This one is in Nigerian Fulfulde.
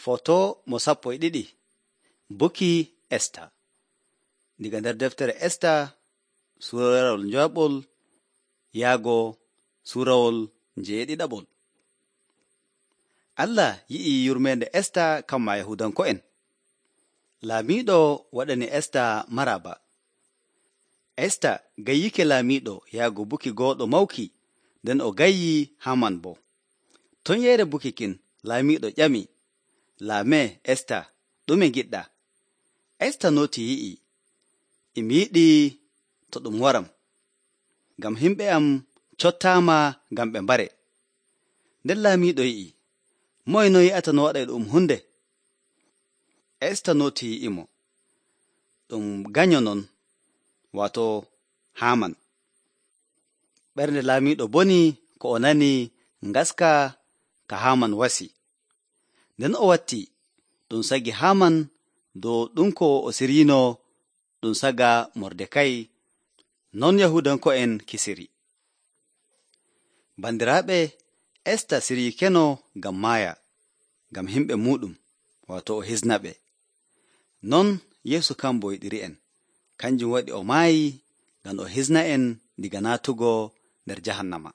Foto mo 12 Buki Esta. Diga nder deftere Esta suurawol njoɓol yaago suurawol jeeɗiɗaɓol. Allah yi'i yurmeende Esta kamma Yahuudanko'en. Laamiiɗo waɗani Esta maraba. Esta gayyike laamiiɗo yaago buki gooɗo mawki, nden o gayyi Haaman boo. Ton yeere buki kin, laamiiɗo ƴami, "Laamee Esta, ɗume ngiɗɗaa?" Esta nooti yi'i, "Mi yiɗii to ɗum waram, ngam himɓe am cottaama ngam ɓe mbare." Nden laamiiɗo yi'i, "Moye no yi'ata no waɗay ɗum hunde?" Esta nooti yi'imo, "Ɗum ganyo non, waato Haaman." Ɓernde laamiiɗo boni ko o nani ngaska ka Haaman wasi. Nden o watti ɗum sagi Haaman dow ɗum ko o siriino ɗum saga Mordekay, non Yahuudanko'en kisiri. Bandiraaɓe, Esta siriikeno ngam maaya, ngam himɓe muuɗum, waato o hisnaɓe. Non Yeesu kan boo yiɗiri'en, kanjum waɗi o maayi ngam o hisna'en diga naatugo nder jahannama.